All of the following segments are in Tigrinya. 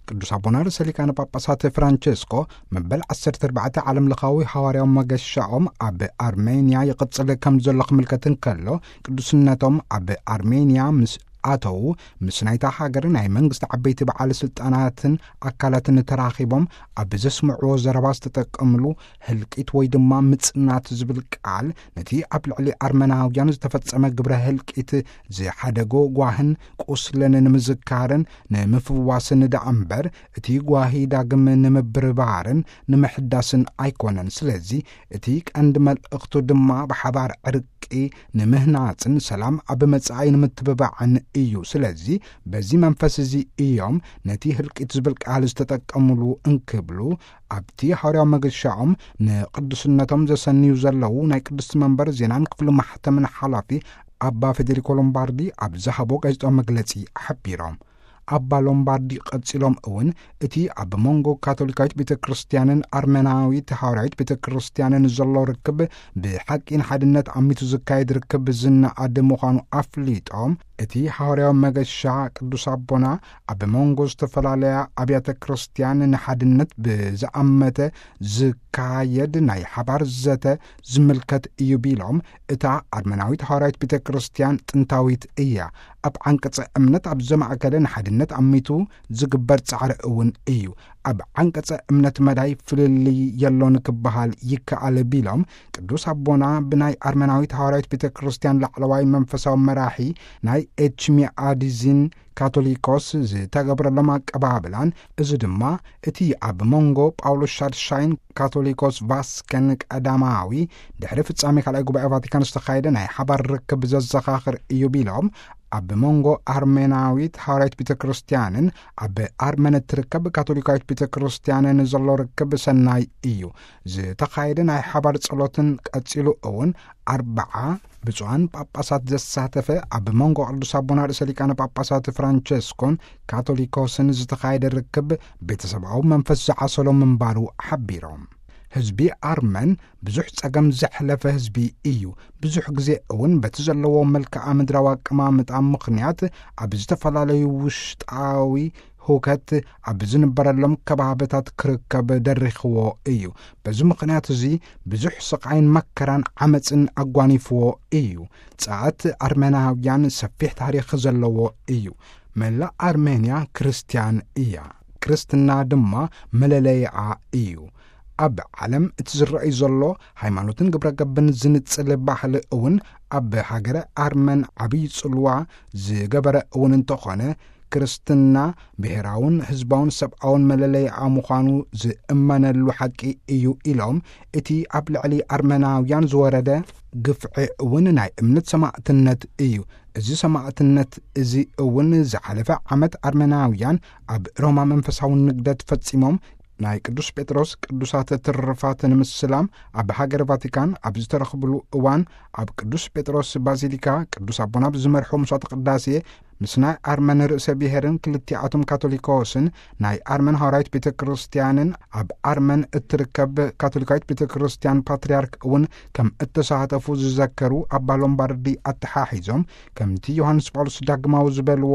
ቅዱስ ኣቦና ርእሰ ሊቃነ ጳጳሳት ፍራንቸስኮ መበል ዓሰርተ ኣርባዕተ ዓለም ለኻዊ ሃዋርያዊ መገሻኦም ኣብ ኣርሜንያ ይቕጽል ከም ዘሎ ክምልከት እንከሎ፣ ቅዱስነቶም ኣብ ኣርሜንያ ምስ ኣተዉ፣ ምስ ናይታ ሃገር ናይ መንግስቲ ዓበይቲ በዓል ስልጣናትን ኣካላትን ተራኺቦም ኣብ ዘስምዕዎ ዘረባ ዝተጠቀምሉ ህልቂት ወይ ድማ ምጽናት ዝብል ቃል ነቲ ኣብ ልዕሊ ኣርመናውያን ዝተፈጸመ ግብረ ህልቂት ዝሓደጎ ጓህን ቁስልን ንምዝካርን ንምፍዋስን ደኣ እምበር፣ እቲ ጓሂ ዳግም ንምብርባርን ንምሕዳስን ኣይኮነን። ስለዚ እቲ ቀንዲ መልእኽቱ ድማ ብሓባር ዕርቂ ንምህናጽን ሰላም ኣብ መጻኢ ንምትብባዕን እዩ። ስለዚ በዚ መንፈስ እዚ እዮም ነቲ ህልቂት ዝብል ቃል ዝተጠቀምሉ እንክብሉ ኣብቲ ሃዋርያዊ መገሻኦም ንቅዱስነቶም ዘሰንዩ ዘለዉ ናይ ቅድስቲ መንበር ዜናን ክፍሊ ማሕተምን ሓላፊ ኣባ ፌዴሪኮ ሎምባርዲ ኣብ ዝሃቦ ጋዜጣዊ መግለጺ ሓቢሮም። ኣባ ሎምባርዲ ቀጺሎም እውን፣ እቲ ኣብ መንጎ ካቶሊካዊት ቤተ ክርስቲያንን ኣርመናዊት ሃዋርያዊት ቤተ ክርስቲያንን ዘሎ ርክብ ብሓቂ ንሓድነት ኣሚቱ ዝካየድ ርክብ ዝነኣድ ምዃኑ ኣፍሊጦም፣ እቲ ሃዋርያዊ መገሻ ቅዱስ ኣቦና ኣብ መንጎ ዝተፈላለያ ኣብያተ ክርስቲያን ንሓድነት ብዝኣመተ ዝካየድ ናይ ሓባር ዘተ ዝምልከት እዩ ቢሎም፣ እታ ኣርመናዊት ሃዋርያዊት ቤተ ክርስቲያን ጥንታዊት እያ። ኣብ ዓንቀጸ እምነት ኣብ ዘማእከለ ንሓድነት ኣሚቱ ዝግበር ጻዕሪ እውን እዩ። ኣብ ዓንቀጸ እምነት መዳይ ፍልልይ የሎን ክበሃል ይከኣል ቢሎም፣ ቅዱስ ኣቦና ብናይ ኣርመናዊት ሃዋርያዊት ቤተ ክርስቲያን ላዕለዋይ መንፈሳዊ መራሒ ናይ ኤችሚኣዲዚን ካቶሊኮስ ዝተገብረሎም ኣቀባብላን፣ እዚ ድማ እቲ ኣብ መንጎ ጳውሎስ ሻድሻይን ካቶሊኮስ ቫስከን ቀዳማዊ ድሕሪ ፍጻሜ ካልኣይ ጉባኤ ቫቲካን ዝተኻየደ ናይ ሓባር ርክብ ዘዘኻኽር እዩ ቢሎም፣ ኣብ መንጎ ኣርሜናዊት ሃዋርያዊት ቤተ ክርስቲያንን ኣብ ኣርመን እትርከብ ካቶሊካዊት ቤተ ክርስቲያንን ዘሎ ርክብ ሰናይ እዩ። ዝተኻየደ ናይ ሓባር ጸሎትን ቀጺሉ እውን ኣርብዓ ብፁዓን ጳጳሳት ዘሳተፈ ኣብ መንጎ ቅዱስ ኣቦና ርእሰ ሊቃነ ጳጳሳት ፍራንቸስኮን ካቶሊኮስን ዝተኻየደ ርክብ ቤተሰባዊ መንፈስ ዝዓሰሎ ምንባሩ ሓቢሮም። ህዝቢ ኣርመን ብዙሕ ጸገም ዘሕለፈ ህዝቢ እዩ። ብዙሕ ግዜ እውን በቲ ዘለዎ መልክዓ ምድራዊ ኣቀማምጣ ምኽንያት ኣብ ዝተፈላለዩ ውሽጣዊ ሁከት ኣብ ዝንበረሎም ከባብታት ክርከብ ደሪኽዎ እዩ። በዚ ምኽንያት እዚ ብዙሕ ስቓይን መከራን ዓመፅን ኣጓኒፍዎ እዩ። ጸኣት ኣርመናውያን ሰፊሕ ታሪኽ ዘለዎ እዩ። መላእ ኣርሜንያ ክርስትያን እያ። ክርስትና ድማ መለለይኣ እዩ። ኣብ ዓለም እቲ ዝረኣይ ዘሎ ሃይማኖትን ግብረ ገብን ዝንጽል ባህሊ እውን ኣብ ሃገረ ኣርመን ዓብዪ ጽልዋ ዝገበረ እውን እንተኾነ፣ ክርስትና ብሔራውን ህዝባውን ሰብኣውን መለለይኣ ምዃኑ ዝእመነሉ ሓቂ እዩ ኢሎም፣ እቲ ኣብ ልዕሊ ኣርመናውያን ዝወረደ ግፍዒ እውን ናይ እምነት ሰማእትነት እዩ። እዚ ሰማእትነት እዚ እውን ዝሓለፈ ዓመት ኣርመናውያን ኣብ ሮማ መንፈሳዊ ንግደት ፈጺሞም ናይ ቅዱስ ጴጥሮስ ቅዱሳት ትርፋት ንምስላም ኣብ ሃገር ቫቲካን ኣብ ዝተረኽብሉ እዋን፣ ኣብ ቅዱስ ጴጥሮስ ባዚሊካ ቅዱስ ኣቦና ብዝመርሑ መስዋዕተ ቅዳሴ ምስ ናይ ኣርመን ርእሰ ብሔርን ክልቲኣቶም ካቶሊኮስን ናይ ኣርመን ሃዋርያዊት ቤተ ክርስቲያንን ኣብ ኣርመን እትርከብ ካቶሊካዊት ቤተ ክርስቲያን ፓትርያርክ እውን ከም እተሳተፉ ዝዘከሩ ኣባ ሎምባርዲ ኣተሓሒዞም፣ ከምቲ ዮሃንስ ጳውሎስ ዳግማዊ ዝበልዎ፣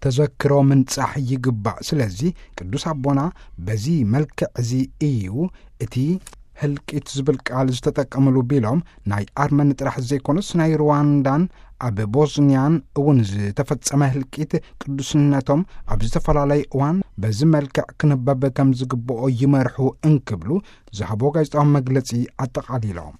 ተዘክሮ ምንጻሕ ይግባእ። ስለዚ ቅዱስ ኣቦና በዚ መልክዕ እዚ እዩ እቲ ህልቂት ዝብል ቃል ዝተጠቀምሉ ቢሎም፣ ናይ ኣርመን ጥራሕ ዘይኮነስ ናይ ሩዋንዳን ኣብ ቦዝንያን እውን ዝተፈጸመ ህልቂት ቅዱስነቶም ኣብ ዝተፈላለየ እዋን በዚ መልክዕ ክንበብ ከም ዝግብኦ ይመርሑ እንክብሉ ዝሃቦ ጋዜጣዊ መግለጺ ኣጠቓሊሎም።